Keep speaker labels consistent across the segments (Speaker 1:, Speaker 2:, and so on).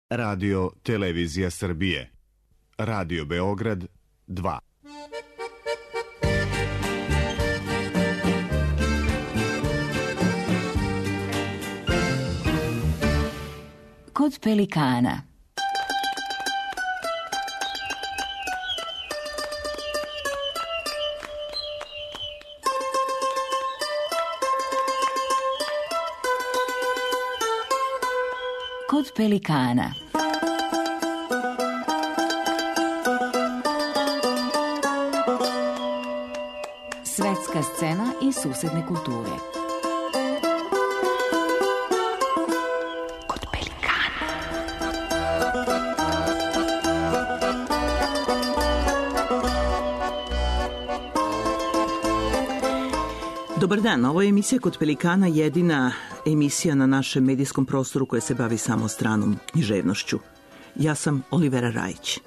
Speaker 1: Radio Televizija Srbije. Radio Beograd 2.
Speaker 2: Kod pelikana. Kod pelikana. Svetska scena i susedne kulture. Kod pelikana.
Speaker 3: Dobar dan, ovo je emisija Kod pelikana, jedina emisija na našem medijskom prostoru koja se bavi samo stranom književnošću. Ja sam Olivera Rajić.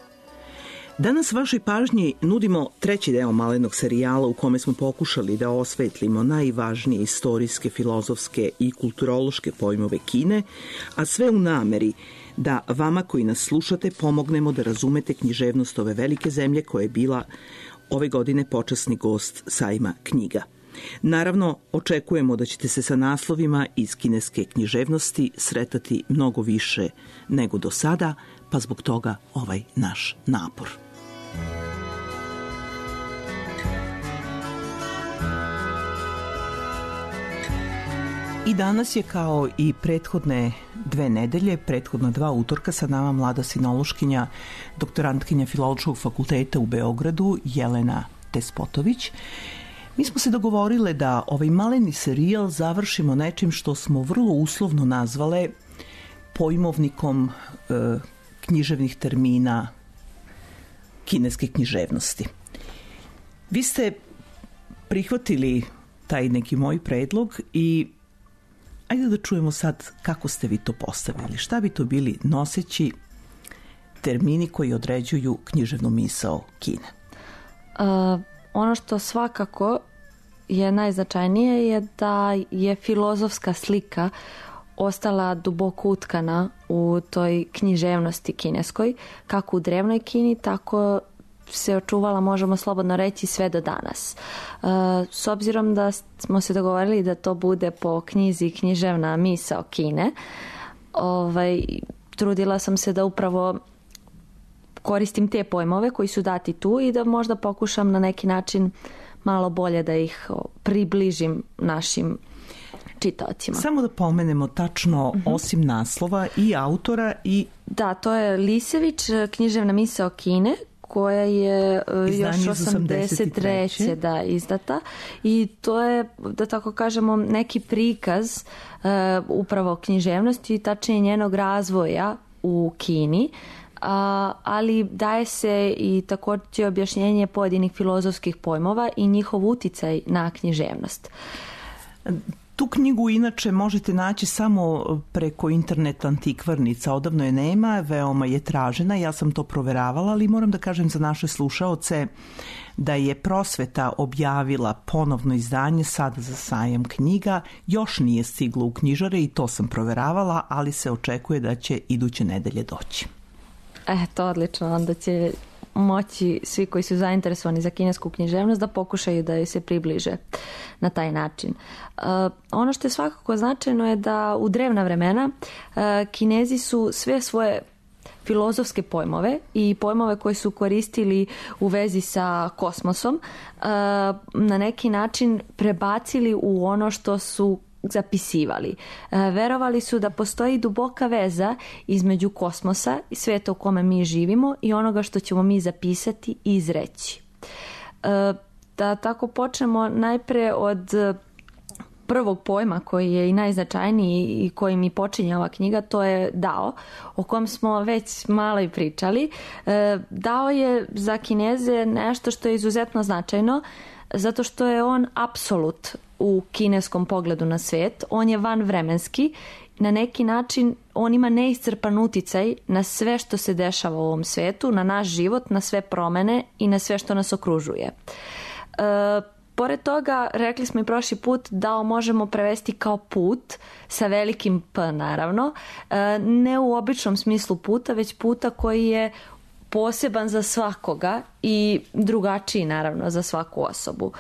Speaker 3: Danas vašoj pažnji nudimo treći deo malenog serijala u kome smo pokušali da osvetlimo najvažnije istorijske, filozofske i kulturološke pojmove Kine, a sve u nameri da vama koji nas slušate pomognemo da razumete književnost ove velike zemlje koja je bila ove godine počasni gost sajma knjiga. Naravno, očekujemo da ćete se sa naslovima iz kineske književnosti sretati mnogo više nego do sada, pa zbog toga ovaj naš napor. I danas je kao i prethodne 2 nedelje, prethodna 2 utorka sa nama mlada sinološkinja, doktorantkinja Filološkog fakulteta u Beogradu, Jelena Despotović. Mi smo se dogovorile da ovaj maleni serijal završimo nečim što smo vrlo uslovno nazvale pojmovnikom književnih termina kineske književnosti. Vi ste prihvatili taj neki moj predlog i ajde da čujemo sad kako ste vi to postavili. Šta bi to bili noseći termini koji određuju književnu misao Kine?
Speaker 4: Ono što svakako je najznačajnije je da je filozofska slika ostala duboko utkana u toj književnosti kineskoj, kako u drevnoj Kini, tako se očuvala, možemo slobodno reći, sve do danas. S obzirom da smo se dogovorili da to bude po knjizi Književna misao Kine, trudila sam se da upravo koristim te pojmove koji su dati tu i da možda pokušam na neki način malo bolje da ih približim našim čitaocima. Samo
Speaker 3: da pomenemo tačno, osim naslova i autora i...
Speaker 4: Da, to je Lisević, Književna misao Kine, koja je još 83. da izdata i to je, da tako kažemo, neki prikaz upravo književnosti, tačnije njenog razvoja u Kini, ali daje se i također objašnjenje pojedinih filozofskih pojmova i njihov uticaj na književnost.
Speaker 3: Tu knjigu inače možete naći samo preko internet antikvarnica, odavno je nema, veoma je tražena, ja sam to proveravala, ali moram da kažem za naše slušaoce da je Prosveta objavila ponovno izdanje sada za sajam knjiga, još nije stiglo u knjižare i to sam proveravala, ali se očekuje da će iduće nedelje doći.
Speaker 4: Eto, odlično, onda će moći svi koji su zainteresovani za kinesku književnost da pokušaju da joj se približe na taj način. Ono što je svakako značajno je da u drevna vremena Kinezi su sve svoje filozofske pojmove i pojmove koje su koristili u vezi sa kosmosom na neki način prebacili u ono što su zapisivali. Verovali su da postoji duboka veza između kosmosa i sveta u kome mi živimo i onoga što ćemo mi zapisati i izreći. Da tako počnemo najpre od prvog pojma koji je i najznačajniji i kojim i počinje ova knjiga, to je Dao, o kom smo već malo i pričali. Dao je za Kineze nešto što je izuzetno značajno, zato što je on apsolut u kineskom pogledu na svet. On je vanvremenski. Na neki način on ima neiscrpan uticaj na sve što se dešava u ovom svetu, na naš život, na sve promene i na sve što nas okružuje. Pored toga, rekli smo i prošli put, dao možemo prevesti kao put, sa velikim P naravno, ne u običnom smislu puta, već puta koji je poseban za svakoga i drugačiji naravno za svaku osobu.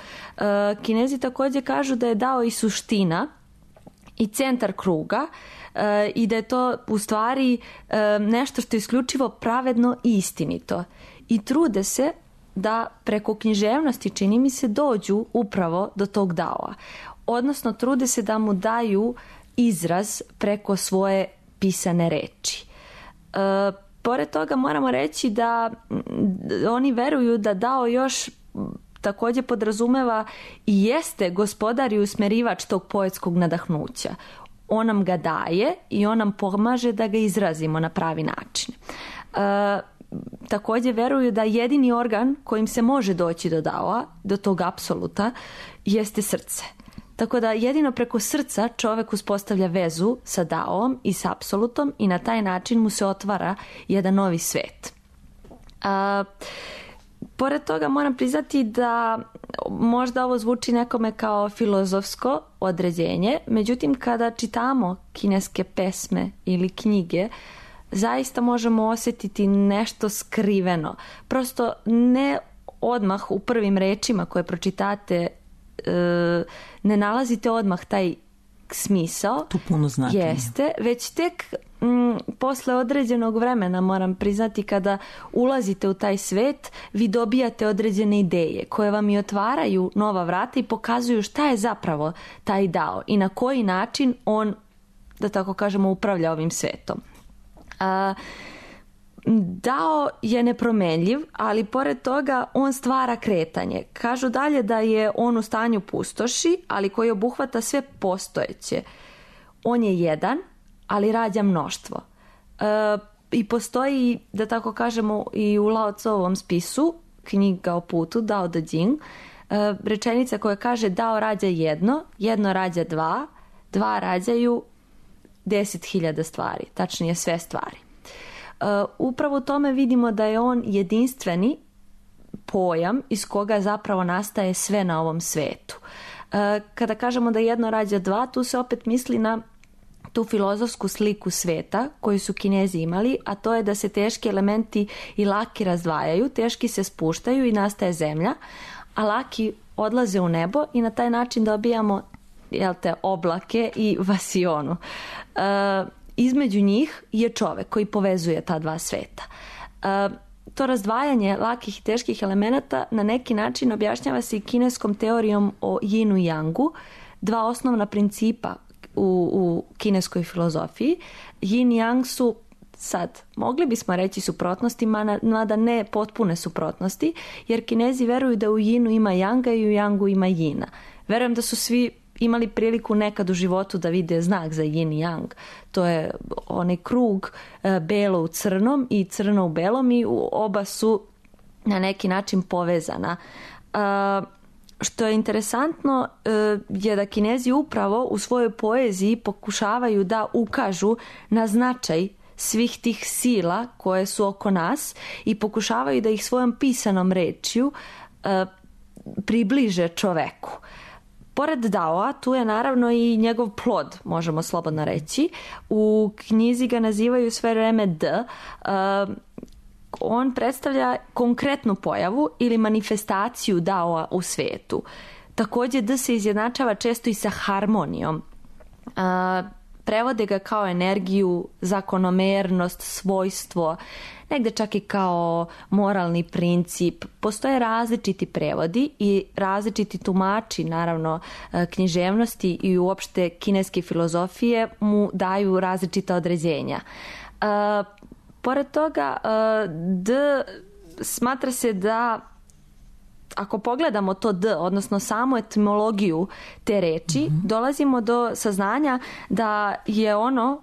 Speaker 4: Kinezi također kažu da je dao i suština i centar kruga i da je to u stvari nešto što je isključivo pravedno i istinito. I trude se da preko književnosti, čini mi se, dođu upravo do tog daoa. Odnosno, trude se da mu daju izraz preko svoje pisane reči. Pored toga moramo reći da oni veruju da dao još također podrazumeva i jeste gospodar i usmerivač tog poetskog nadahnuća. On nam ga daje i on nam pomaže da ga izrazimo na pravi način. Također veruju da jedini organ kojim se može doći do daoa, do tog apsoluta, jeste srce. Tako da jedino preko srca čovjek uspostavlja vezu sa daom i s apsolutom i na taj način mu se otvara jedan novi svet. Pored toga moram priznati da možda ovo zvuči nekome kao filozofsko određenje, međutim kada čitamo kineske pesme ili knjige, zaista možemo osjetiti nešto skriveno. Prosto ne odmah u prvim rečima koje pročitate ne nalazite odmah taj smisao.
Speaker 3: Tu puno značenja.
Speaker 4: Jeste, već tek posle određenog vremena, moram priznati, kada ulazite u taj svet, vi dobijate određene ideje koje vam i otvaraju nova vrata i pokazuju šta je zapravo taj dao i na koji način on, da tako kažemo, upravlja ovim svetom. Dao je nepromenljiv, ali pored toga on stvara kretanje. Kažu dalje da je on u stanju pustoši, ali koji obuhvata sve postojeće. On je jedan, ali rađa mnoštvo. I postoji, da tako kažemo, i u Lao Tzuovom spisu, knjiga o putu, Dao De Jing, rečenica koja kaže dao rađa jedno, jedno rađa dva, dva rađaju 10.000 stvari, tačnije sve stvari. Upravo u tome vidimo da je on jedinstveni pojam iz koga zapravo nastaje sve na ovom svetu. Kada kažemo da jedno rađa dva, tu se opet misli na tu filozofsku sliku sveta koju su Kinezi imali, a to je da se teški elementi i laki razdvajaju, teški se spuštaju i nastaje zemlja, a laki odlaze u nebo i na taj način dobijamo oblake i vasionu. Između njih je čovek koji povezuje ta dva sveta. To razdvajanje lakih i teških elemenata na neki način objašnjava se i kineskom teorijom o Yinu i Yangu, dva osnovna principa u kineskoj filozofiji. Yin i Yang su sad, mogli bismo reći suprotnosti, mada ne potpune suprotnosti, jer Kinezi veruju da u Yinu ima Yanga i u Yangu ima Yina. Verujem da su svi imali priliku nekad u životu da vide znak za yin i yang. To je onaj krug belo u crnom i crno u belom i oba su na neki način povezana. Što je interesantno je da Kinezi upravo u svojoj poeziji pokušavaju da ukažu na značaj svih tih sila koje su oko nas i pokušavaju da ih svojom pisanom rečju približe čoveku. Pored daoa, tu je naravno i njegov plod, možemo slobodno reći. U knjizi ga nazivaju sve vreme D. On predstavlja konkretnu pojavu ili manifestaciju daoa u svetu. Također D se izjednačava često i sa harmonijom. Prevode ga kao energiju, zakonomernost, svojstvo, negde čak i kao moralni princip. Postoje različiti prevodi i različiti tumači, naravno, književnosti i uopšte kineske filozofije mu daju različita određenja. Pored toga, D smatra se da, ako pogledamo to D, odnosno samu etimologiju te reči, dolazimo do saznanja da je ono,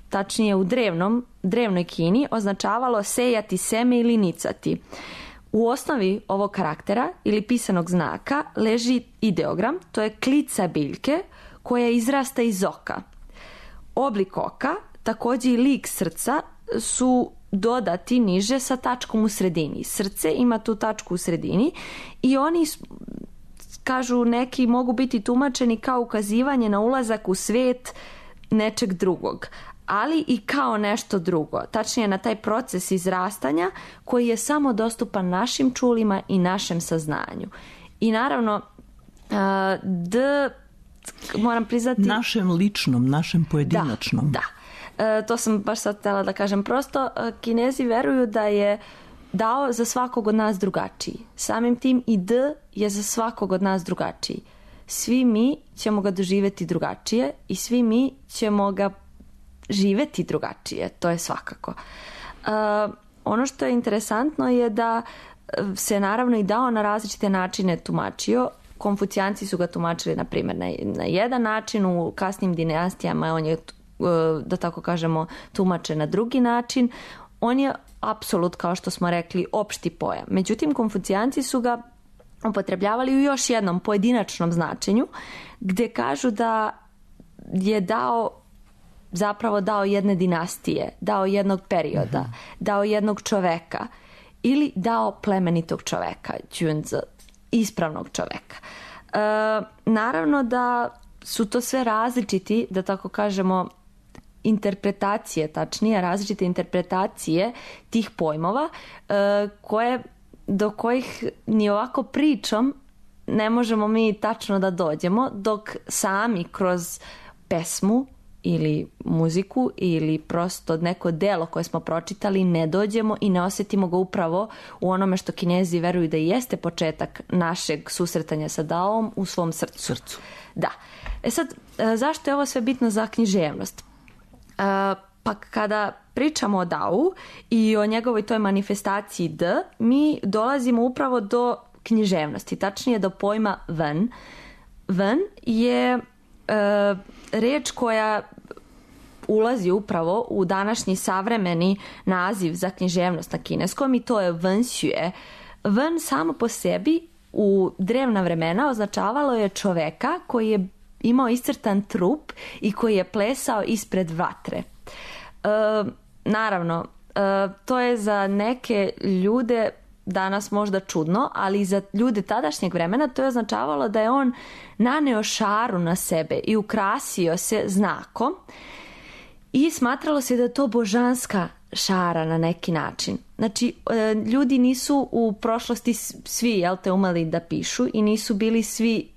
Speaker 4: tačnije u drevnoj Kini, označavalo sejati seme ili nicati. U osnovi ovog karaktera ili pisanog znaka leži ideogram, to je klica biljke koja izrasta iz oka. Oblik oka, također i lik srca su dodati niže sa tačkom u sredini. Srce ima tu tačku u sredini i oni kažu neki, mogu biti tumačeni kao ukazivanje na ulazak u svijet nečeg drugog, ali i kao nešto drugo, tačnije na taj proces izrastanja koji je samo dostupan našim čulima i našem saznanju. I naravno, moram priznati...
Speaker 3: Našem ličnom, našem pojedinačnom.
Speaker 4: Da. To sam baš sad htjela da kažem. Prosto, Kinezi veruju da je dao za svakog od nas drugačiji. Samim tim i D je za svakog od nas drugačiji. Svi mi ćemo ga doživjeti drugačije i svi mi ćemo ga živjeti drugačije. To je svakako. Ono što je interesantno je da se naravno i dao na različite načine tumačio. Konfucijanci su ga tumačili, na primjer, na jedan način, u kasnim dinastijama on je, da tako kažemo, tumačen na drugi način. On je apsolut, kao što smo rekli, opšti pojam. Međutim, Konfucijanci su ga upotrebljavali u još jednom pojedinačnom značenju, gdje kažu da je dao jedne dinastije, dao jednog perioda, dao jednog čoveka ili dao plemenitog čoveka, ispravnog čoveka. Naravno da su to sve različiti, da tako kažemo, interpretacije, tačnije različite interpretacije tih pojmova do kojih ni ovako pričom ne možemo mi tačno da dođemo, dok sami kroz pesmu ili muziku ili prosto neko delo koje smo pročitali ne dođemo i ne osjetimo ga upravo u onome što Kinezi veruju da jeste početak našeg susretanja sa Daom, u svom srcu. Da. Sad, zašto je ovo sve bitno za književnost? Pa kada pričamo o Dau i o njegovoj toj manifestaciji D, mi dolazimo upravo do književnosti, tačnije do pojma ven. Ven je riječ koja ulazi upravo u današnji savremeni naziv za književnost na kineskom i to je wenxue. Ven samo po sebi u drevna vremena označavalo je čoveka koji je imao iscrtan trup i koji je plesao ispred vatre. Naravno, to je za neke ljude danas možda čudno, ali za ljude tadašnjeg vremena to je označavalo da je on naneo šaru na sebe i ukrasio se znakom i smatralo se da je to božanska šara na neki način. Znači, ljudi nisu u prošlosti svi umeli da pišu i nisu bili svi,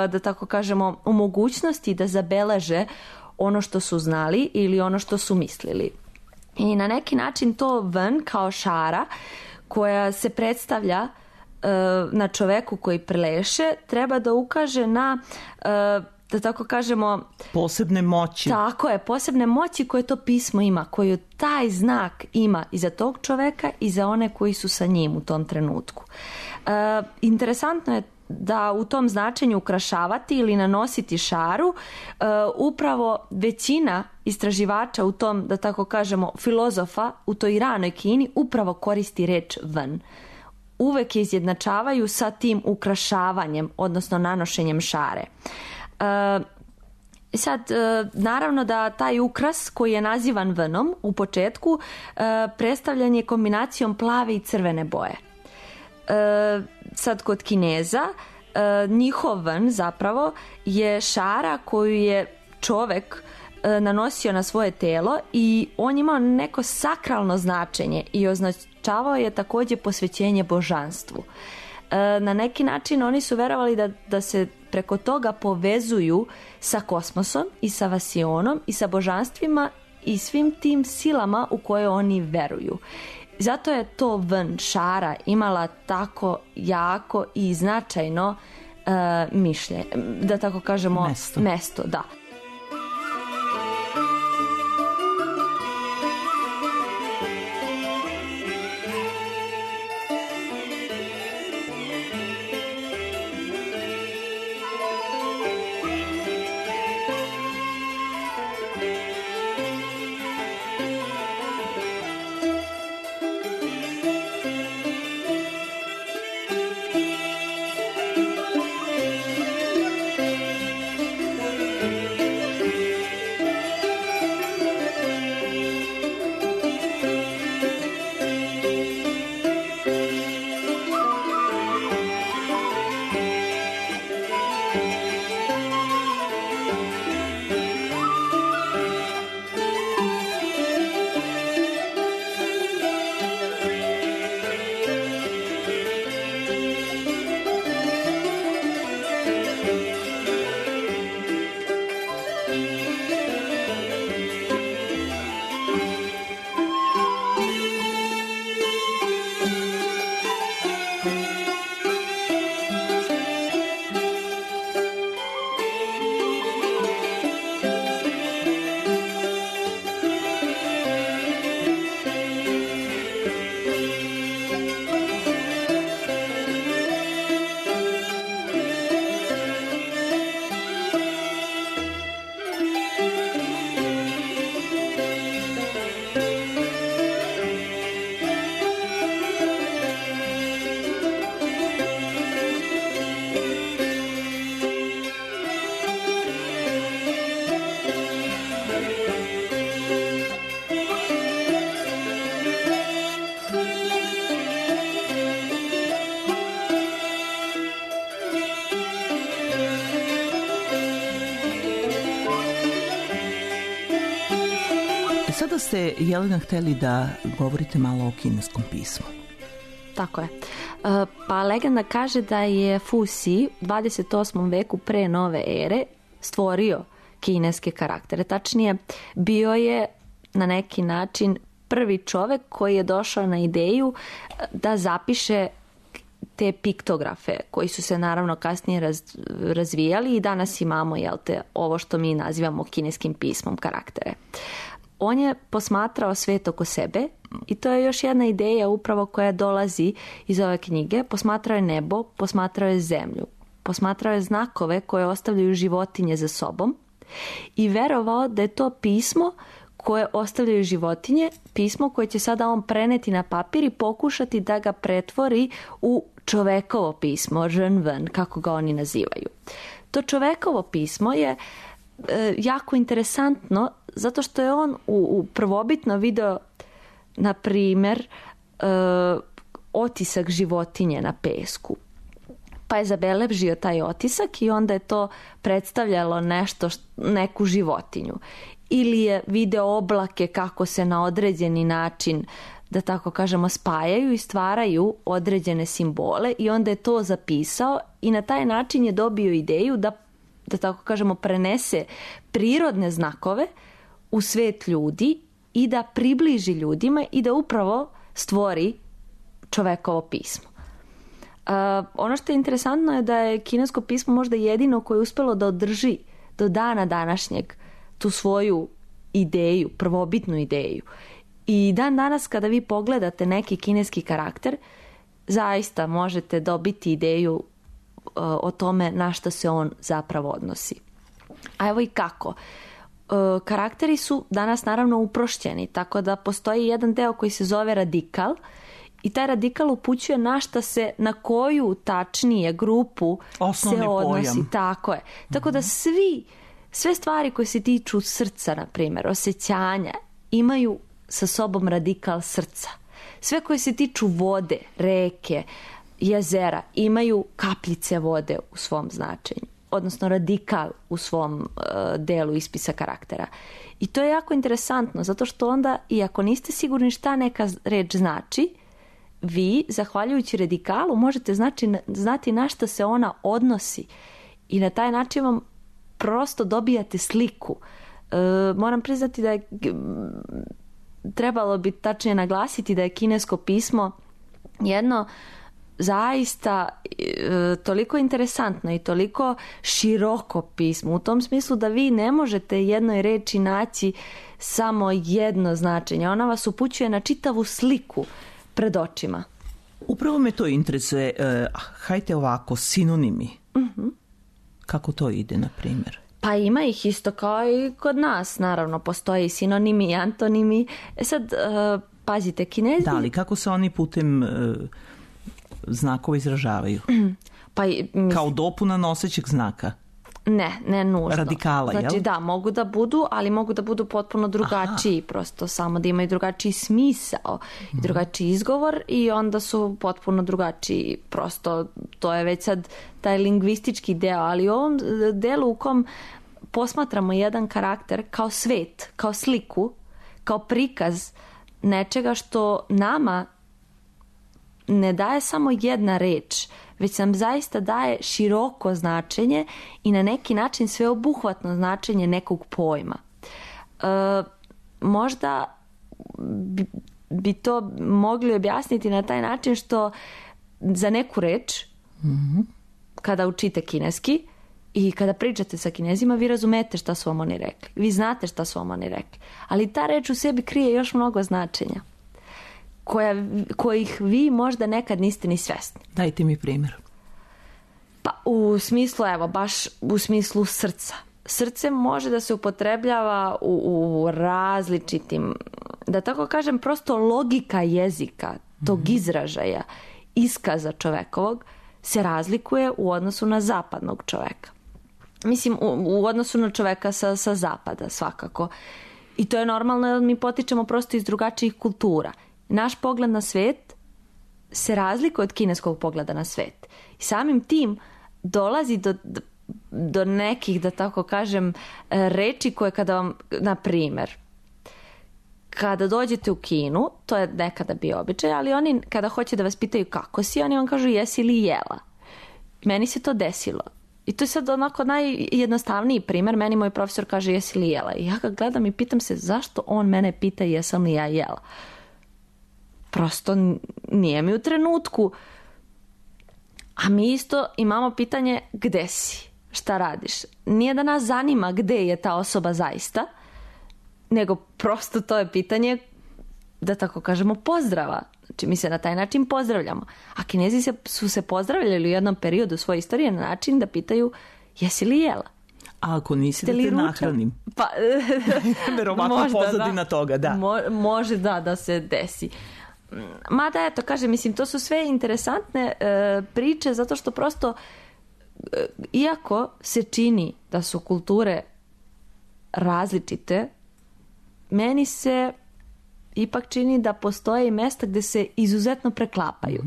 Speaker 4: da tako kažemo, u mogućnosti da zabeleže ono što su znali ili ono što su mislili. I na neki način to ven kao šara koja se predstavlja na čoveku koji preleše, treba da ukaže na, da tako kažemo,
Speaker 3: posebne moći.
Speaker 4: Tako je, posebne moći koje to pismo ima, koju taj znak ima i za tog čoveka i za one koji su sa njim u tom trenutku. Interesantno je da u tom značenju ukrašavati ili nanositi šaru, upravo većina istraživača u tom, da tako kažemo, filozofa u toj ranoj Kini upravo koristi reč ven. Uvek je izjednačavaju sa tim ukrašavanjem, odnosno nanošenjem šare. Sad, naravno da taj ukras koji je nazivan venom u početku predstavljan je kombinacijom plave i crvene boje. Sad kod Kineza njihov ven zapravo je šara koju je čovek nanosio na svoje telo i on imao neko sakralno značenje i označavao je također posvećenje božanstvu. Na neki način oni su verovali da se preko toga povezuju sa kosmosom i sa vasionom i sa božanstvima i svim tim silama u koje oni veruju. Zato je to ven šara imala tako jako i značajno mišljenje, da tako kažemo, mesto, da.
Speaker 3: sada ste, Jelena, hteli da govorite malo o kineskom pismu.
Speaker 4: Tako je. Pa legenda kaže da je Fu Xi u 28. veku pre nove ere stvorio kineske karaktere. Tačnije, bio je na neki način prvi čovek koji je došao na ideju da zapiše te piktografe koji su se naravno kasnije razvijali i danas imamo ovo što mi nazivamo kineskim pismom karaktere. On je posmatrao svet oko sebe i to je još jedna ideja upravo koja dolazi iz ove knjige. Posmatrao je nebo, posmatrao je zemlju, posmatrao je znakove koje ostavljaju životinje za sobom i verovao da je to pismo koje ostavljaju životinje, pismo koje će sada on preneti na papir i pokušati da ga pretvori u čovekovo pismo, Zhenwen, kako ga oni nazivaju. To čovekovo pismo je jako interesantno zato što je on u prvobitno video, na primjer, otisak životinje na pesku. Pa je zabeležio taj otisak i onda je to predstavljalo neku životinju. Ili je video oblake kako se na određeni način, da tako kažemo, spajaju i stvaraju određene simbole i onda je to zapisao i na taj način je dobio ideju da tako kažemo, prenese prirodne znakove u svet ljudi i da približi ljudima i da upravo stvori čovekovo pismo. Ono što je interesantno je da je kinesko pismo možda jedino koje je uspelo da održi do dana današnjeg tu svoju ideju, prvobitnu ideju. I dan danas kada vi pogledate neki kineski karakter, zaista možete dobiti ideju o tome na što se on zapravo odnosi. A evo i kako. Karakteri su danas naravno uprošćeni, tako da postoji jedan deo koji se zove radikal i taj radikal upućuje na koju tačnije grupu
Speaker 3: osnovni
Speaker 4: se odnosi.
Speaker 3: Pojam.
Speaker 4: Tako je. Tako da sve stvari koje se tiču srca, na primjer, osjećanja, imaju sa sobom radikal srca. Sve koje se tiču vode, reke, jezera, imaju kapljice vode u svom značenju, odnosno radikal u svom delu ispisa karaktera. I to je jako interesantno, zato što onda, iako niste sigurni šta neka reč znači, vi, zahvaljujući radikalu, možete znati na što se ona odnosi i na taj način vam prosto dobijate sliku. Moram priznati da je trebalo bi tačnije naglasiti da je kinesko pismo jedno zaista toliko interesantno i toliko široko pismo, u tom smislu da vi ne možete jednoj reči naći samo jedno značenje. Ona vas upućuje na čitavu sliku pred očima.
Speaker 3: Upravo me to interesuje. Hajde ovako, sinonimi. Kako to ide, na primjer?
Speaker 4: Pa ima ih isto kao i kod nas, naravno. Postoji sinonimi i antonimi. Sad, pazite, Kinezi...
Speaker 3: Da, ali kako se oni putem znakova izražavaju?
Speaker 4: Pa,
Speaker 3: kao dopuna nosećeg znaka?
Speaker 4: Ne nužno.
Speaker 3: Radikala,
Speaker 4: znači,
Speaker 3: jel?
Speaker 4: Da, mogu da budu, ali mogu da budu potpuno drugačiji. Prosto samo da imaju drugačiji smisao i drugačiji izgovor i onda su potpuno drugačiji. Prosto to je već sad taj lingvistički deo, ali u ovom delu u kom posmatramo jedan karakter kao svet, kao sliku, kao prikaz nečega što nama ne daje samo jedna reč, već nam zaista daje široko značenje i na neki način sveobuhvatno značenje nekog pojma. Možda bi to mogli objasniti na taj način što za neku reč, kada učite kineski i kada pričate sa Kinezima, vi razumete šta su vam oni rekli. Vi znate šta su vam oni rekli. Ali ta reč u sebi krije još mnogo značenja kojih vi možda nekad niste ni svesni.
Speaker 3: Dajte mi primjer.
Speaker 4: Pa u smislu, evo, baš u smislu srca. Srce može da se upotrebljava u različitim, da tako kažem, prosto logika jezika, tog izražaja, iskaza čovekovog se razlikuje u odnosu na zapadnog čoveka. Mislim, u odnosu na čoveka sa zapada, svakako. I to je normalno jer mi potičemo prosto iz drugačijih kultura. Naš pogled na svet se razlikuje od kineskog pogleda na svet. I samim tim dolazi do nekih, da tako kažem, reči koje kada vam, na primjer, kada dođete u kinu, to je nekada bio običaj, ali oni kada hoće da vas pitaju kako si, oni vam kažu jesi li jela. Meni se to desilo. I to je sad onako najjednostavniji primjer. Meni moj profesor kaže jesi li jela. I ja ga gledam i pitam se zašto on mene pita jesam li ja jela. Prosto nije mi u trenutku. A mi isto imamo pitanje gde si, šta radiš. Nije da nas zanima gde je ta osoba zaista, nego prosto to je pitanje, da tako kažemo, pozdrava. Znači mi se na taj način pozdravljamo. A Kinezi su se pozdravljali u jednom periodu svoje istorije na način da pitaju jesi li jela?
Speaker 3: A ako nisi da te nahranim?
Speaker 4: Pa,
Speaker 3: verovatno pozadina toga, da.
Speaker 4: Može da se desi. Mada eto, kažem, mislim, to su sve interesantne priče, zato što prosto, iako se čini da su kulture različite, meni se ipak čini da postoje i mesta gde se izuzetno preklapaju.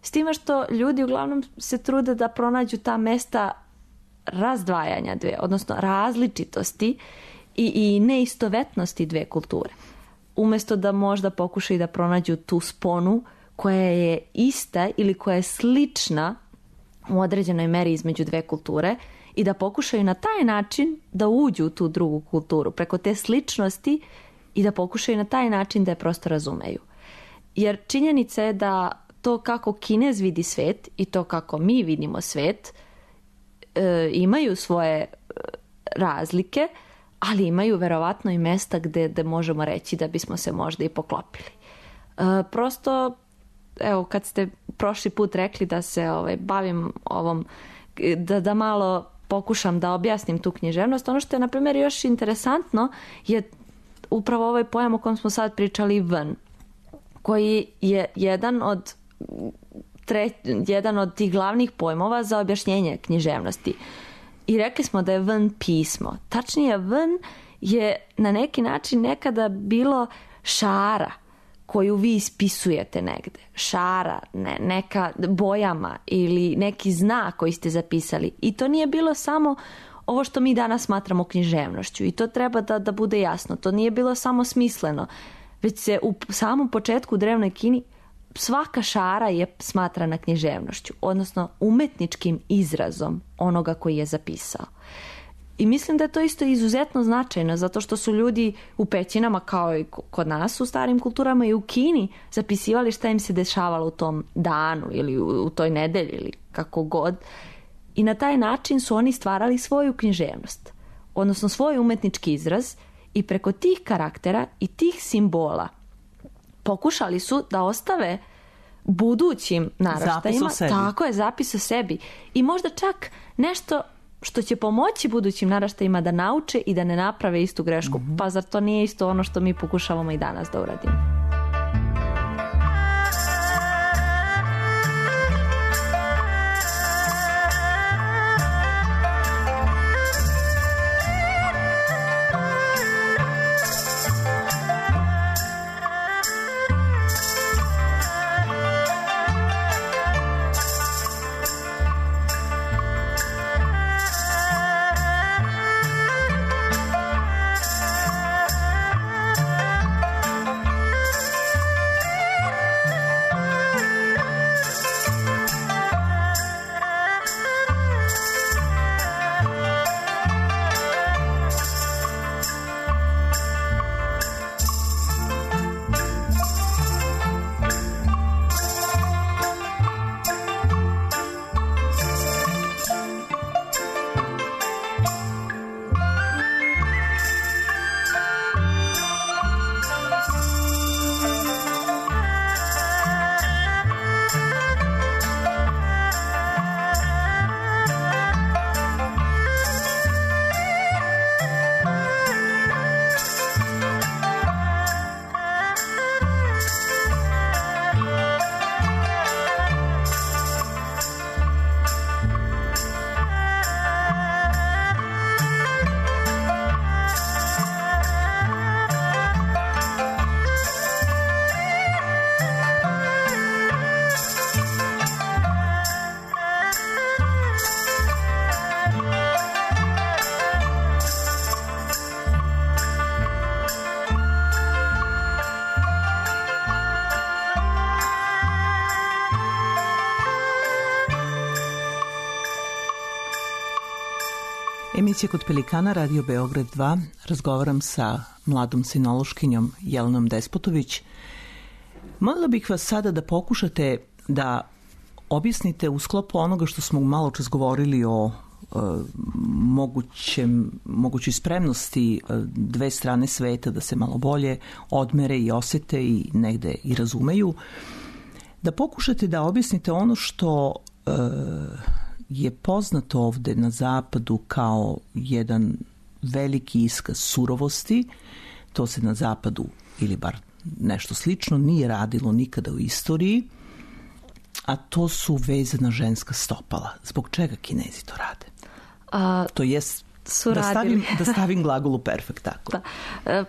Speaker 4: S time što ljudi uglavnom se trude da pronađu ta mesta razdvajanja dve, odnosno različitosti i neistovetnosti dve kulture. Umesto da možda pokušaju da pronađu tu sponu koja je ista ili koja je slična u određenoj meri između dve kulture i da pokušaju na taj način da uđu u tu drugu kulturu preko te sličnosti i da pokušaju na taj način da je prosto razumeju. Jer činjenica je da to kako Kinez vidi svet i to kako mi vidimo svet imaju svoje razlike, ali imaju verovatno i mesta gde možemo reći da bismo se možda i poklopili. Prosto, evo, kad ste prošli put rekli da se bavim ovom, da malo pokušam da objasnim tu književnost, ono što je, na primjer, još interesantno je upravo ovaj pojam o kojem smo sad pričali, ven, koji je jedan od tih glavnih pojmova za objašnjenje književnosti. I rekli smo da je ven pismo. Tačnije, ven je na neki način nekada bilo šara koju vi ispisujete negde. Šara, neka bojama ili neki znak koji ste zapisali. I to nije bilo samo ovo što mi danas smatramo književnošću. I to treba da bude jasno. To nije bilo samo smisleno. Već se u samom početku u drevnoj Kini svaka šara je smatrana književnošću, odnosno umetničkim izrazom onoga koji je zapisao. I mislim da je to isto izuzetno značajno, zato što su ljudi u pećinama, kao i kod nas u starim kulturama i u Kini, zapisivali šta im se dešavalo u tom danu ili u toj nedelji ili kako god. I na taj način su oni stvarali svoju književnost, odnosno svoj umetnički izraz, i preko tih karaktera i tih simbola pokušali su da ostave budućim naraštajima tako je zapis o sebi i možda čak nešto što će pomoći budućim naraštajima da nauče i da ne naprave istu grešku. Pa zar to nije isto ono što mi pokušavamo i danas da uradimo?
Speaker 3: Emisija Kod Pelikana, Radio Beograd 2. Razgovaram sa mladom sinološkinjom Jelenom Despotović. Molila bih vas sada da pokušate da objasnite u sklopu onoga što smo malo čas govorili o mogućoj spremnosti dve strane sveta da se malo bolje odmere i osete i negde i razumeju, da pokušate da objasnite ono što je poznato ovde na zapadu kao jedan veliki iskaz surovosti. To se na zapadu, ili bar nešto slično, nije radilo nikada u istoriji, a to su vezana ženska stopala. Zbog čega Kinezi to rade? To jest, da stavim glagol u perfekt, tako.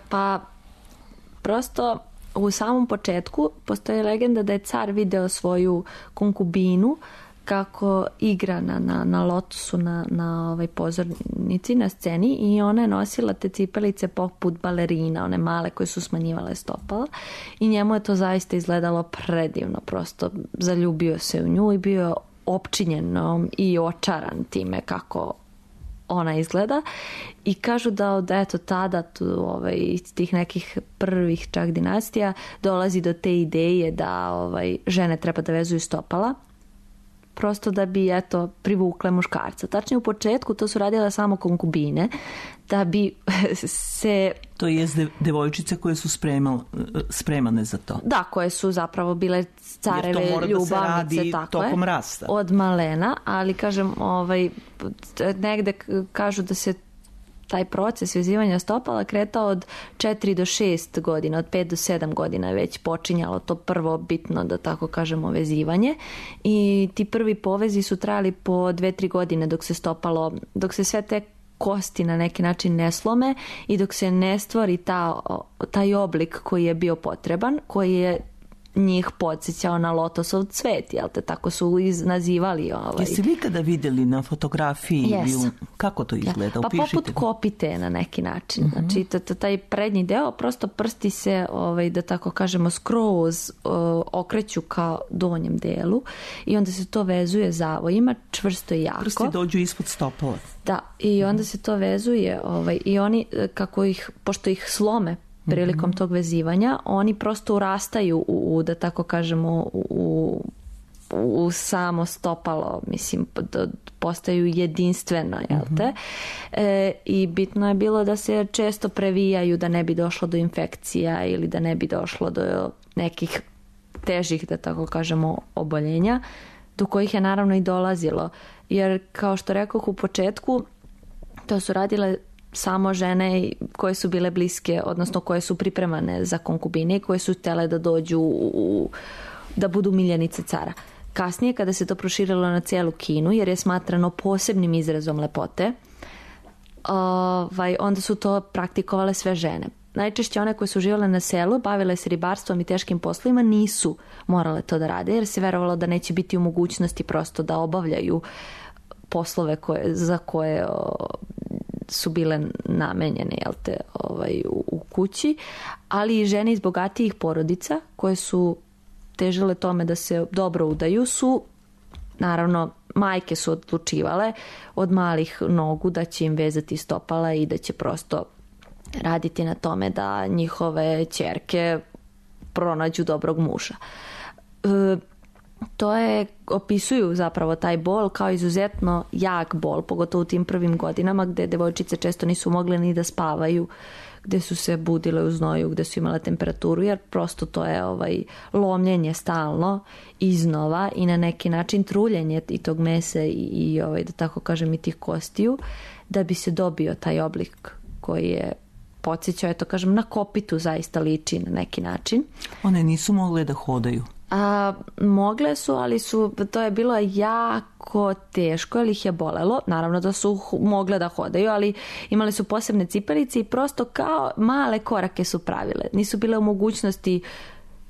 Speaker 4: Pa, prosto u samom početku postoji legenda da je car video svoju konkubinu kako igra na lotosu na pozornici, na sceni, i ona je nosila te cipelice poput balerina, one male koje su smanjivale stopala, i njemu je to zaista izgledalo predivno, prosto zaljubio se u nju i bio opčinjen i očaran time kako ona izgleda, i kažu da od tada iz tih nekih prvih čak dinastija dolazi do te ideje da žene treba da vezuju stopala, prosto da bi privukle muškarca. Tačnije u početku to su radile samo konkubine, da bi se...
Speaker 3: To je devojčice koje su spremane za to.
Speaker 4: Da, koje su zapravo bile careve ljubavnice, tako
Speaker 3: tokom rasta.
Speaker 4: Od malena, ali kažem, negde kažu da se taj proces vezivanja stopala kretao od 4 do 6 godina, od 5 do 7 godina je već počinjalo to prvo bitno, da tako kažemo, vezivanje, i ti prvi povezi su trajali po 2-3 godine dok se sve te kosti na neki način ne slome i dok se ne stvori taj oblik koji je bio potreban, koji je njih podsjećao na lotosov cvet, jel te, tako su nazivali.
Speaker 3: Jeste vi kada vidjeli na fotografiji?
Speaker 4: Yes.
Speaker 3: Kako to izgleda?
Speaker 4: Pa poput kopite na neki način. Znači, taj prednji deo, prosto prsti se, da tako kažemo, skroz okreću kao donjem delu, i onda se to vezuje zavojima, čvrsto i jako.
Speaker 3: Prsti dođu ispod stopala.
Speaker 4: Da, i onda se to vezuje, i oni, pošto ih slome prilikom tog vezivanja, oni prosto urastaju da tako kažemo, u samo stopalo, mislim, postaju jedinstveno, jel te? I bitno je bilo da se često previjaju, da ne bi došlo do infekcija ili da ne bi došlo do nekih težih, da tako kažemo, oboljenja, do kojih je naravno i dolazilo. Jer, kao što rekoh u početku, to su radile samo žene koje su bile bliske, odnosno koje su pripremane za konkubine, koje su htjele da dođu da budu miljenice cara. Kasnije, kada se to proširilo na cijelu Kinu, jer je smatrano posebnim izrazom lepote, onda su to praktikovale sve žene. Najčešće one koje su živjele na selu, bavile se ribarstvom i teškim poslovima, nisu morale to da rade, jer se verovalo da neće biti u mogućnosti prosto da obavljaju poslove za koje su bile namenjene, jel te, u kući, ali i žene iz bogatijih porodica koje su težile tome da se dobro udaju su, naravno, majke su odlučivale od malih nogu da će im vezati stopala i da će prosto raditi na tome da njihove ćerke pronađu dobrog muža. To opisuju zapravo taj bol kao izuzetno jak bol, pogotovo u tim prvim godinama gdje devojčice često nisu mogle ni da spavaju, gdje su se budile u znoju, gdje su imale temperaturu, jer prosto to je lomljenje stalno iznova i na neki način truljenje i tog mesa i da tako kažem i tih kostiju, da bi se dobio taj oblik koji je podsjećao, eto kažem, na kopitu zaista liči na neki način.
Speaker 3: One nisu mogle da hodaju.
Speaker 4: Mogle su, ali to je bilo jako teško, jer ih je bolelo. Naravno da su mogle da hodaju, ali imali su posebne cipelice i prosto kao male korake su pravile. Nisu bile u mogućnosti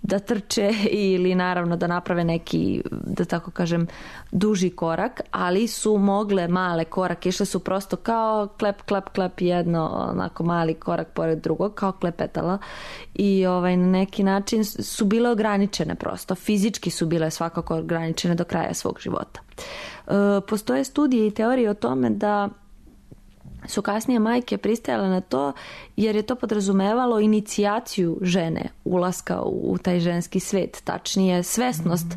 Speaker 4: da trče ili naravno da naprave neki, da tako kažem, duži korak, ali su mogle male korake, išle su prosto kao klep, klep, klep, jedno onako mali korak pored drugog, kao klepetala, i na neki način su bile ograničene prosto, fizički su bile svakako ograničene do kraja svog života. Postoje studije i teorije o tome da su kasnije majke pristajale na to jer je to podrazumevalo inicijaciju žene, ulaska u taj ženski svet, tačnije svesnost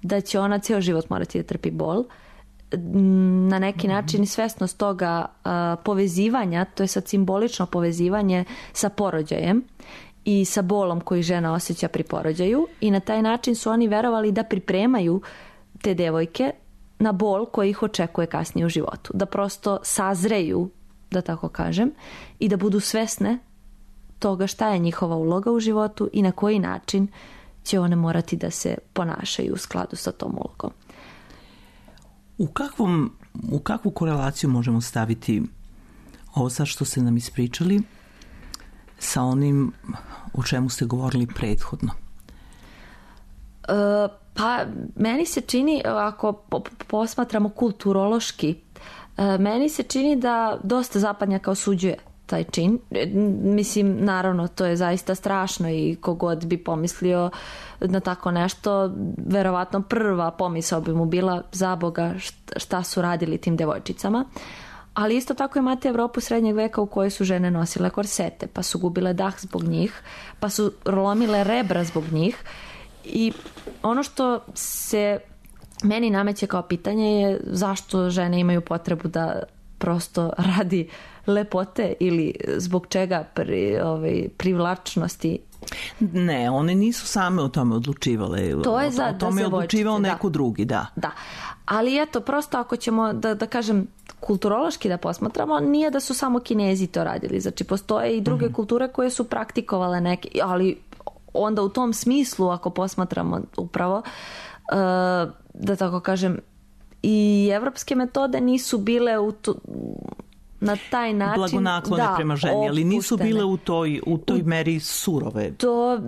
Speaker 4: da će ona ceo život morati da trpi bol, na neki način svesnost toga povezivanja, to je sad simbolično povezivanje sa porođajem i sa bolom koji žena osjeća pri porođaju, i na taj način su oni verovali da pripremaju te devojke na bol koji ih očekuje kasnije u životu, da prosto sazreju, da tako kažem, i da budu svesne toga šta je njihova uloga u životu i na koji način će one morati da se ponašaju u skladu sa tom ulogom.
Speaker 3: U kakvu korelaciju možemo staviti ovo sad što ste nam ispričali sa onim o čemu ste govorili prethodno?
Speaker 4: Pa meni se čini, ako posmatramo kulturološki, meni se čini da dosta zapadnjaka osuđuje taj čin. Mislim, naravno, to je zaista strašno i kogod bi pomislio na tako nešto, verovatno prva pomisao bi mu bila, za Boga, šta su radili tim devojčicama. Ali isto tako imate Evropu srednjeg veka u kojoj su žene nosile korsete, pa su gubile dah zbog njih, pa su lomile rebra zbog njih. I ono što se meni nameće kao pitanje je zašto žene imaju potrebu da prosto radi lepote ili zbog čega privlačnosti.
Speaker 3: Ne, one nisu same o tome odlučivale.
Speaker 4: To je
Speaker 3: o tome je odlučivao neko drugi, da.
Speaker 4: Da, ali eto, prosto ako ćemo da kažem kulturološki da posmatramo, nije da su samo Kinezi to radili. Znači, postoje i druge kulture koje su praktikovale neke, ali onda u tom smislu, ako posmatramo upravo, da tako kažem, i evropske metode nisu bile na taj način
Speaker 3: blagonaklone prema ženi, ali nisu bile u toj meri surove.
Speaker 4: To,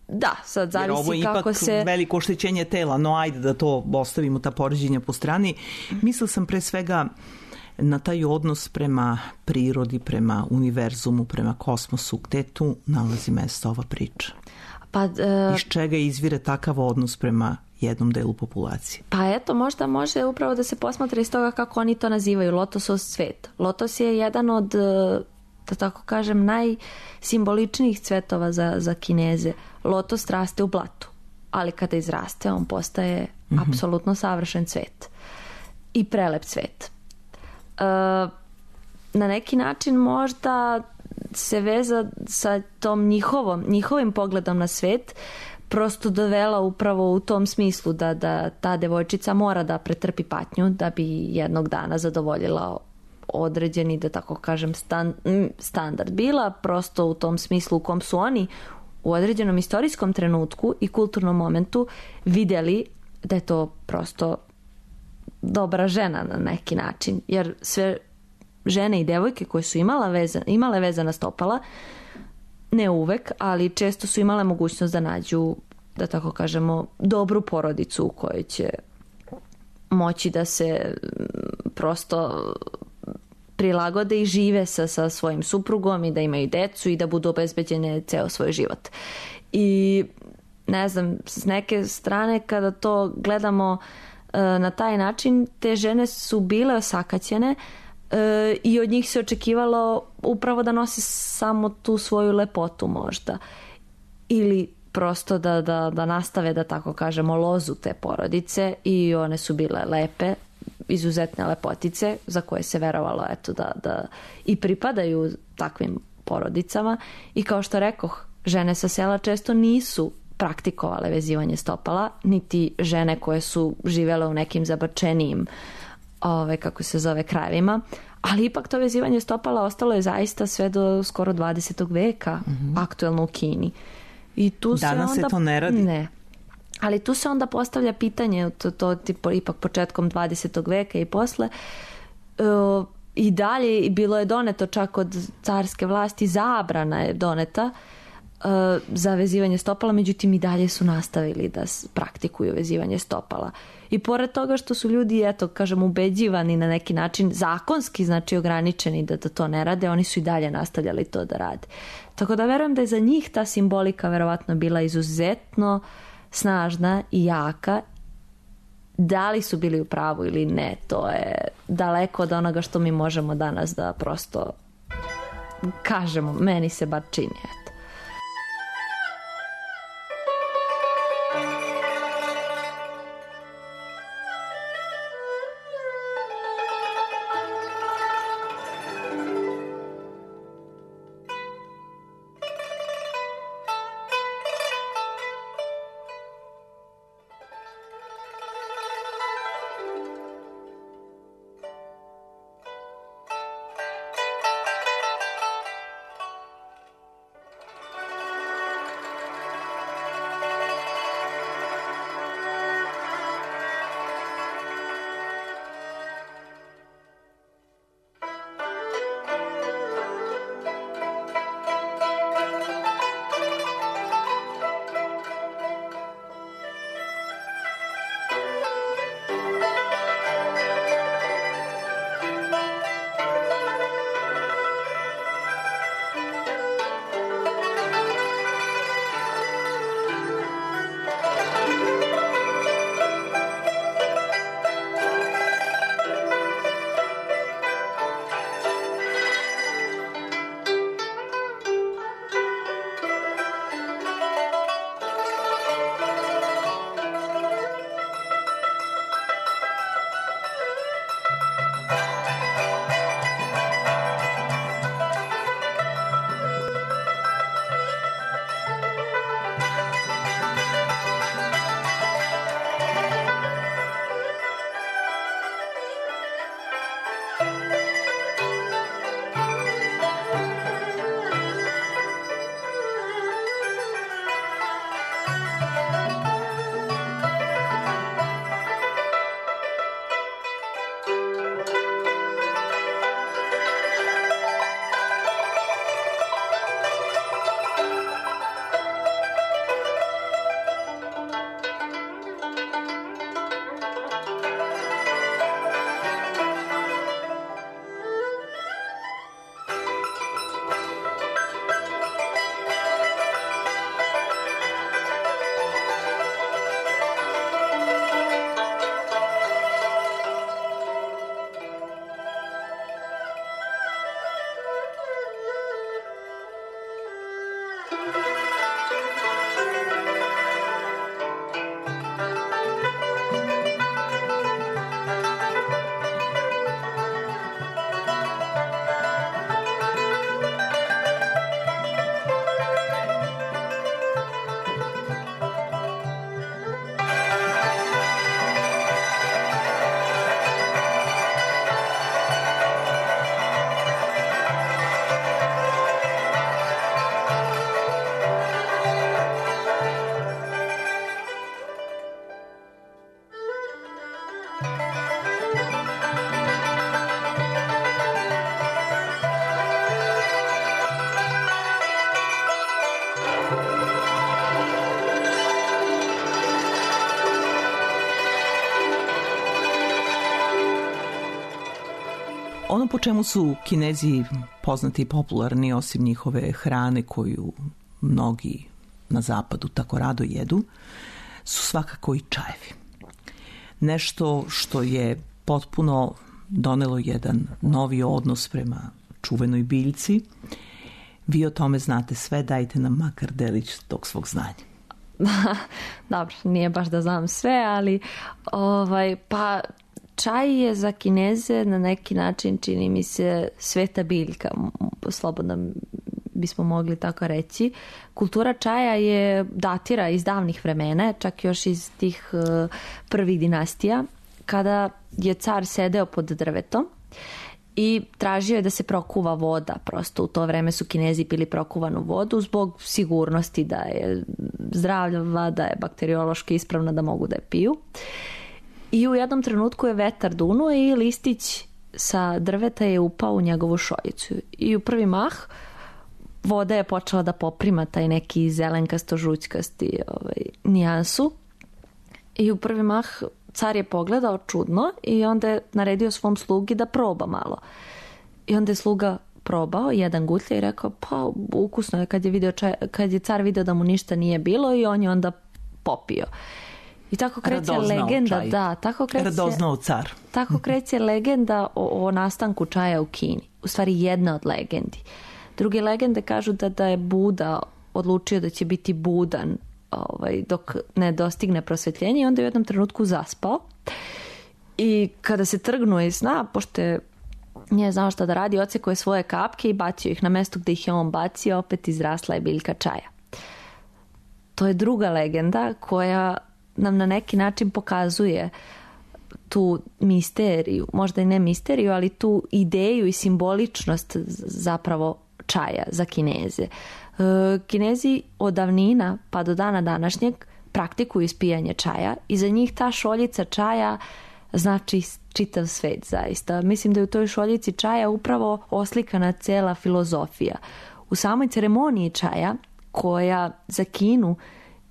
Speaker 4: da, sad zavisi kako se... Jer ovo je ipak
Speaker 3: veliko oštećenje tela, no ajde da to ostavimo, ta poređenja po strani. Mislila sam pre svega na taj odnos prema prirodi, prema univerzumu, prema kosmosu. Gde tu nalazi mesto ova priča? Iz čega izvire takav odnos prema jednom delu populacije?
Speaker 4: Pa eto, možda može upravo da se posmatra iz toga kako oni to nazivaju, Lotosov cvet. Lotos je jedan od, da tako kažem, najsimboličnijih cvetova za Kineze. Lotos raste u blatu, ali kada izraste on postaje apsolutno savršen cvet i prelep cvet. Na neki način možda se veza sa tom njihovim pogledom na svet prosto dovela upravo u tom smislu da ta devojčica mora da pretrpi patnju da bi jednog dana zadovoljila određeni, da tako kažem, standard. Bila prosto u tom smislu u kom su oni u određenom istorijskom trenutku i kulturnom momentu vidjeli da je to prosto dobra žena na neki način, jer sve žene i devojke koje su imale vezana stopala, ne uvek, ali često su imale mogućnost da nađu, da tako kažemo, dobru porodicu u kojoj će moći da se prosto prilagode i žive sa svojim suprugom i da imaju decu i da budu obezbeđene ceo svoj život. I ne znam, s neke strane kada to gledamo na taj način, te žene su bile osakaćene i od njih se očekivalo upravo da nosi samo tu svoju lepotu možda. Ili prosto da nastave, da tako kažemo, lozu te porodice, i one su bile lepe, izuzetne lepotice za koje se verovalo eto da i pripadaju takvim porodicama. I kao što rekoh, žene sa sela često nisu praktikovale vezivanje stopala, niti žene koje su živjele u nekim zabačenijim kako se zove krajevima, ali ipak to vezivanje stopala ostalo je zaista sve do skoro 20. veka aktuelno u Kini. I tu
Speaker 3: danas
Speaker 4: se onda,
Speaker 3: to ne radi.
Speaker 4: Ne. Ali tu se onda postavlja pitanje, to ipak početkom 20. veka i posle, i dalje bilo je doneto čak od carske vlasti, zabrana je doneta za vezivanje stopala, međutim i dalje su nastavili da praktikuju vezivanje stopala. I pored toga što su ljudi, eto, kažem, ubeđivani na neki način, zakonski, znači ograničeni da to ne rade, oni su i dalje nastavljali to da rade. Tako da verujem da je za njih ta simbolika verovatno bila izuzetno snažna i jaka, Da li su bili u pravu ili ne, to je daleko od onoga što mi možemo danas da prosto kažemo, meni se bar čini, eto.
Speaker 3: Ono po čemu su Kinezi poznati i popularni, osim njihove hrane koju mnogi na zapadu tako rado jedu, su svakako i čajevi. Nešto što je potpuno donelo jedan novi odnos prema čuvenoj biljci. Vi o tome znate sve, dajte nam makar delić tog svog znanja.
Speaker 4: Dobro, nije baš da znam sve, ali pa čaj je za Kineze na neki način, čini mi se, sveta biljka, slobodno bismo mogli tako reći. Kultura čaja je datira iz davnih vremena, čak još iz tih prvih dinastija, kada je car sedeo pod drvetom i tražio je da se prokuva voda. Prosto u to vreme su Kinezi pili prokuvanu vodu zbog sigurnosti da je zdravlja, da je bakteriološki ispravna, da mogu da je piju. I u jednom trenutku je vetar dunuo i listić sa drveta je upao u njegovu šoljicu. I u prvi mah voda je počela da poprima taj neki zelenkasto-žućkasti nijansu. I u prvi mah car je pogledao čudno i onda je naredio svom slugi da proba malo. I onda je sluga probao jedan gutlja i rekao, pa ukusno je, kad je car video da mu ništa nije bilo, i on je onda popio. I tako kreće legenda,
Speaker 3: radoznao car.
Speaker 4: Tako kreće legenda o nastanku čaja u Kini. U stvari jedna od legendi. Druge legende kažu da je Buda odlučio da će biti budan dok ne dostigne prosvjetljenje i onda je u jednom trenutku zaspao. I kada se trgnuo iz sna, pošto nije znao šta da radi, odsekao je svoje kapke i bacio ih na mesto gdje ih je on bacio, opet izrasla je biljka čaja. To je druga legenda koja nam na neki način pokazuje tu misteriju, možda i ne misteriju, ali tu ideju i simboličnost zapravo čaja za Kineze. Kinezi od davnina pa do dana današnjeg praktikuju ispijanje čaja i za njih ta šoljica čaja znači čitav svet zaista. Mislim da je u toj šoljici čaja upravo oslikana cela filozofija. U samoj ceremoniji čaja, koja za Kinu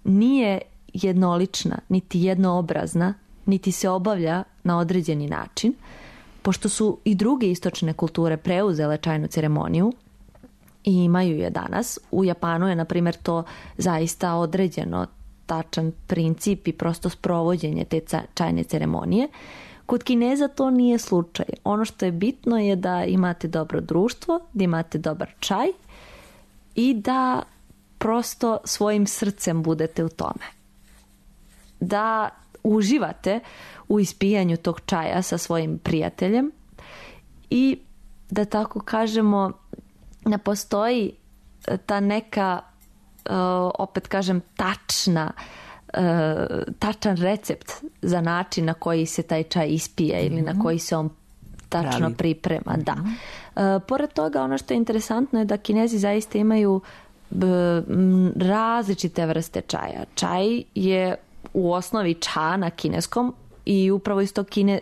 Speaker 4: nije jednolična, niti jednoobrazna, niti se obavlja na određeni način, pošto su i druge istočne kulture preuzele čajnu ceremoniju i imaju je danas. U Japanu je, na primjer, to zaista određeno, tačan princip i prosto sprovođenje te čajne ceremonije. Kod Kineza to nije slučaj. Ono što je bitno je da imate dobro društvo, da imate dobar čaj i da prosto svojim srcem budete u tome. Da uživate u ispijanju tog čaja sa svojim prijateljem i da tako kažemo ne postoji ta neka opet kažem tačan recept za način na koji se taj čaj ispije ili na koji se on tačno priprema. Da. Pored toga, ono što je interesantno je da Kinezi zaista imaju različite vrste čaja. Čaj je u osnovi ča na kineskom i upravo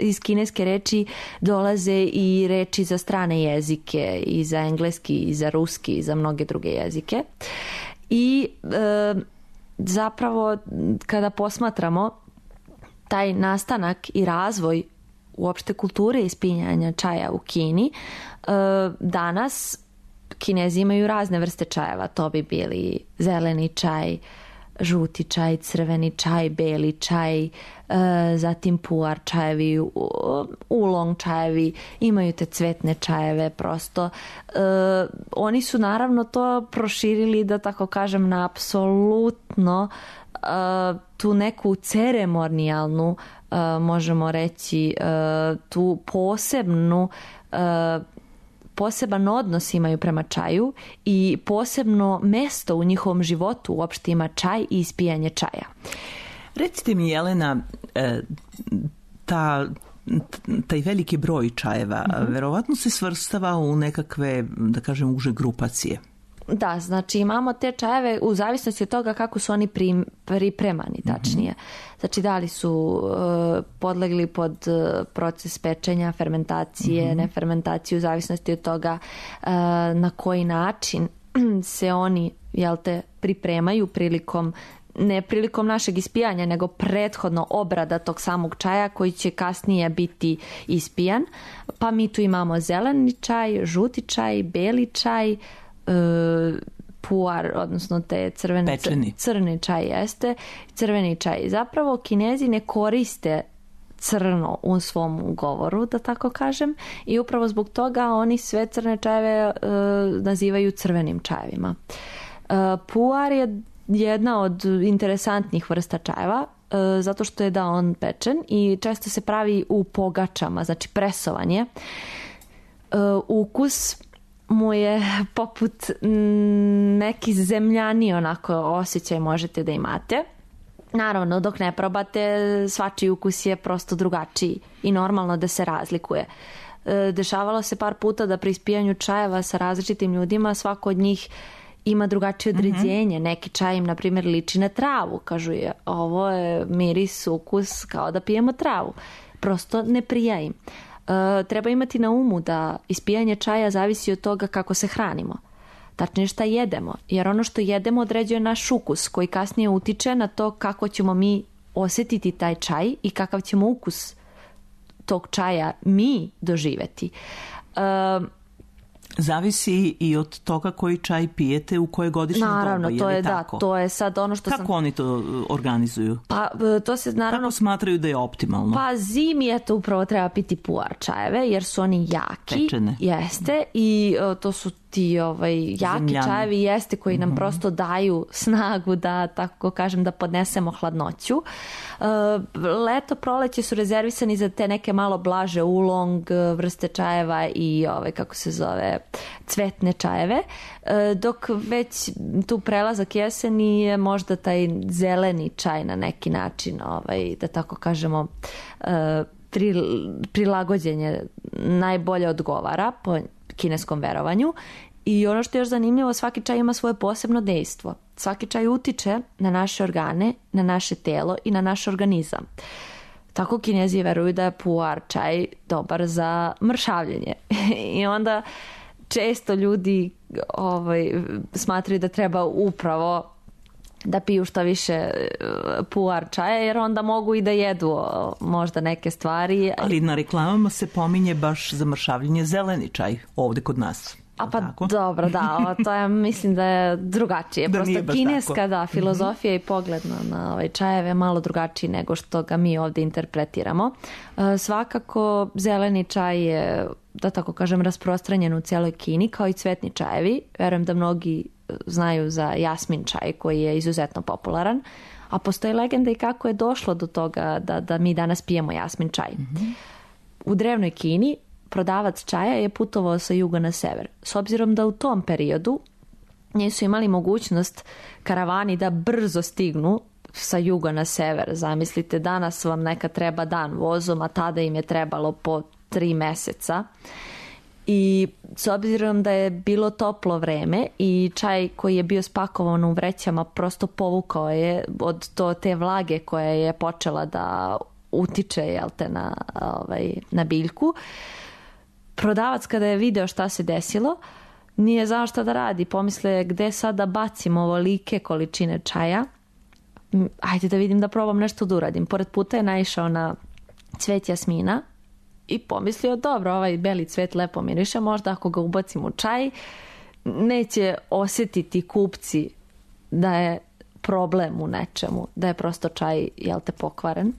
Speaker 4: iz kineske reči dolaze i reči za strane jezike, i za engleski, i za ruski, i za mnoge druge jezike. I zapravo kada posmatramo taj nastanak i razvoj uopšte kulture ispijanja čaja u Kini, danas Kinezi imaju razne vrste čajeva. To bi bili zeleni čaj, žuti čaj, crveni čaj, beli čaj, zatim puar čajevi, ulong čajevi, imaju te cvetne čajeve prosto. Oni su naravno to proširili, da tako kažem, na apsolutno tu neku ceremonijalnu, možemo reći, tu poseban odnos imaju prema čaju i posebno mesto u njihovom životu uopšte ima čaj i ispijanje čaja.
Speaker 3: Recite mi, Jelena, taj veliki broj čajeva verovatno se svrstava u nekakve, da kažem, uže grupacije.
Speaker 4: Da, znači imamo te čajeve u zavisnosti od toga kako su oni pripremani, tačnije. Znači da li su podlegli pod proces pečenja, fermentacije, nefermentacije, u zavisnosti od toga na koji način se oni, pripremaju ne prilikom našeg ispijanja, nego prethodno obrada tog samog čaja koji će kasnije biti ispijan. Pa mi tu imamo zeleni čaj, žuti čaj, beli čaj, puar, odnosno te crni čaj jeste, crveni čaj. Zapravo Kinezi ne koriste crno u svom govoru, da tako kažem, i upravo zbog toga oni sve crne čajeve nazivaju crvenim čajevima. Puar je jedna od interesantnih vrsta čajeva, zato što je on pečen i često se pravi u pogačama, znači presovanje. Ukus mu je poput neki zemljani onako osjećaj možete da imate. Naravno, dok ne probate, svačiji ukus je prosto drugačiji i normalno da se razlikuje. Dešavalo se par puta da pri ispijanju čajeva sa različitim ljudima svako od njih ima drugačije određenje. Neki čaj im, na primjer, liči na travu. Kažu je, ovo je miris, ukus kao da pijemo travu. Prosto ne prija im. Treba imati na umu da ispijanje čaja zavisi od toga kako se hranimo. Tačnije šta jedemo. Jer ono što jedemo određuje naš ukus koji kasnije utiče na to kako ćemo mi osjetiti taj čaj i kakav ćemo ukus tog čaja mi doživjeti.
Speaker 3: Zavisi i od toga koji čaj pijete u koje godišnje doba.
Speaker 4: Naravno, to je
Speaker 3: tako?
Speaker 4: Da, to je sad ono što
Speaker 3: Kako oni to organizuju?
Speaker 4: Pa to se naravno...
Speaker 3: Kako smatraju da je optimalno?
Speaker 4: Pa zimi je to upravo treba piti puar čajeve jer su oni jaki.
Speaker 3: Pečene.
Speaker 4: Jeste i to su ti jaki
Speaker 3: Zemljani.
Speaker 4: čajevi jeste koji nam prosto daju snagu da, tako kažem, da podnesemo hladnoću. Leto, proleće su rezervisani za te neke malo blaže ulong vrste čajeva i kako se zove, cvetne čajeve, dok već tu prelazak jeseni je možda taj zeleni čaj na neki način, da tako kažemo, prilagođenje najbolje odgovara po kineskom verovanju. I ono što je još zanimljivo, svaki čaj ima svoje posebno dejstvo. Svaki čaj utiče na naše organe, na naše telo i na naš organizam. Tako Kinezi veruju da je puar čaj dobar za mršavljenje. I onda često ljudi smatraju da treba upravo da piju što više puar čaja, jer onda mogu i da jedu možda neke stvari.
Speaker 3: Ali na reklamama se pominje baš za mršavljenje zeleni čaj ovde kod nas.
Speaker 4: A pa tako? Dobro, da, to je, mislim da je drugačije.
Speaker 3: Da
Speaker 4: prosto kineska, da, filozofija i pogled na čajeve je malo drugačiji nego što ga mi ovdje interpretiramo. Svakako, zeleni čaj je, da tako kažem, rasprostranjen u cijeloj Kini, kao i cvetni čajevi. Verujem da mnogi znaju za jasmin čaj koji je izuzetno popularan, a postoji legenda i kako je došlo do toga da mi danas pijemo jasmin čaj. U drevnoj Kini prodavac čaja je putovao sa juga na sever. S obzirom da u tom periodu nisu imali mogućnost karavani da brzo stignu sa juga na sever. Zamislite, danas vam neka treba dan vozom, a tada im je trebalo po 3 meseca. I s obzirom da je bilo toplo vreme i čaj koji je bio spakovan u vrećama prosto povukao je od te vlage koja je počela da utiče na biljku. Prodavac kada je video šta se desilo, nije znao šta da radi. Pomisle, gde sad da bacim ovolike količine čaja? Ajde da vidim, da probam nešto da uradim. Pored puta je naišao na cvet jasmina i pomislio, dobro, ovaj beli cvet lepo miriše, možda ako ga ubacim u čaj, neće osjetiti kupci da je problem u nečemu, da je prosto čaj, pokvaren.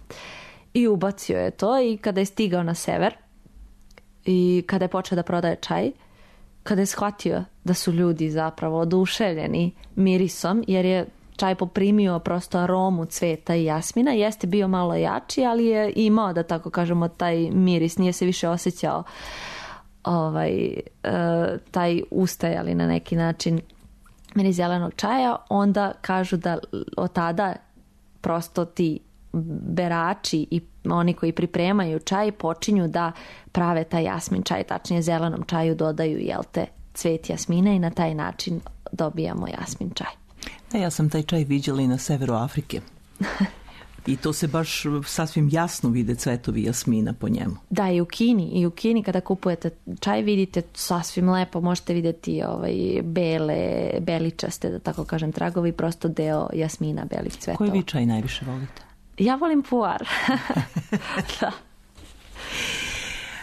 Speaker 4: I ubacio je to i kada je stigao na sever i kada je počeo da prodaje čaj, kada je shvatio da su ljudi zapravo oduševljeni mirisom, jer je čaj poprimio prosto aromu cveta i jasmina, jeste bio malo jači, ali je imao, da tako kažemo, taj miris, nije se više osjećao taj ustajali na neki način miris zelenog čaja. Onda kažu da od tada prosto ti berači i oni koji pripremaju čaj počinju da prave taj jasmin čaj, tačnije zelenom čaju dodaju cvet jasmina i na taj način dobijamo jasmin čaj.
Speaker 3: Ja sam taj čaj viđala i na severu Afrike. I to se baš sasvim jasno vide cvetovi jasmina po njemu.
Speaker 4: Da, i u Kini kada kupujete čaj vidite sasvim lepo, možete vidjeti beličaste, da tako kažem, tragovi, prosto deo jasmina, belih cvetova.
Speaker 3: Koji vi čaj najviše volite?
Speaker 4: Ja volim puar. Da.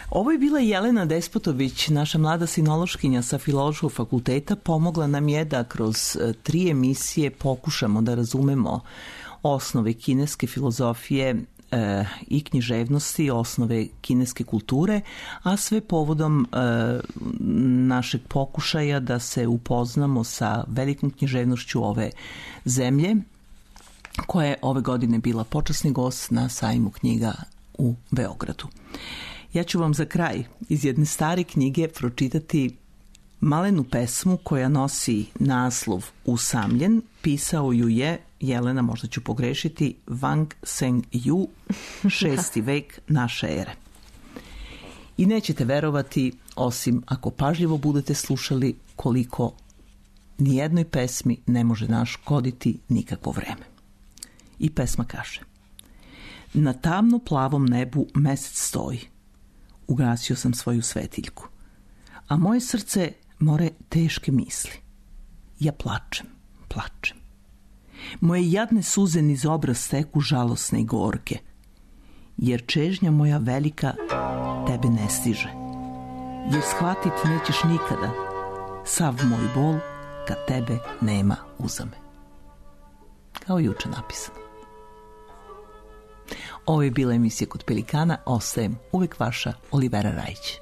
Speaker 3: Ovo je bila Jelena Despotović, naša mlada sinološkinja sa Filološkog fakulteta. Pomogla nam je da kroz 3 emisije pokušamo da razumemo osnove kineske filozofije i književnosti, osnove kineske kulture, a sve povodom našeg pokušaja da se upoznamo sa velikom književnošću ove zemlje, koja je ove godine bila počasni gost na sajmu knjiga u Beogradu. Ja ću vam za kraj iz jedne stare knjige pročitati malenu pesmu koja nosi naslov Usamljen. Pisao ju je, Jelena, možda ću pogrešiti, Wang Seng-ju, 6. vek naše ere. I nećete verovati, osim ako pažljivo budete slušali, koliko nijednoj pesmi ne može naškoditi nikakvo vreme. I pesma kaže: na tamno plavom nebu mesec stoji, ugasio sam svoju svetiljku, a moje srce more teške misli. Ja plačem, plačem. Moje jadne suze niz obraz teku žalosne i gorke, jer čežnja moja velika tebe ne stiže. jer shvatit nećeš nikada sav moj bol kad tebe nema uza me. Kao juče napisano. Ovo je bila emisija Kod Pelikana. Ostajem uvek vaša Olivera Rajić.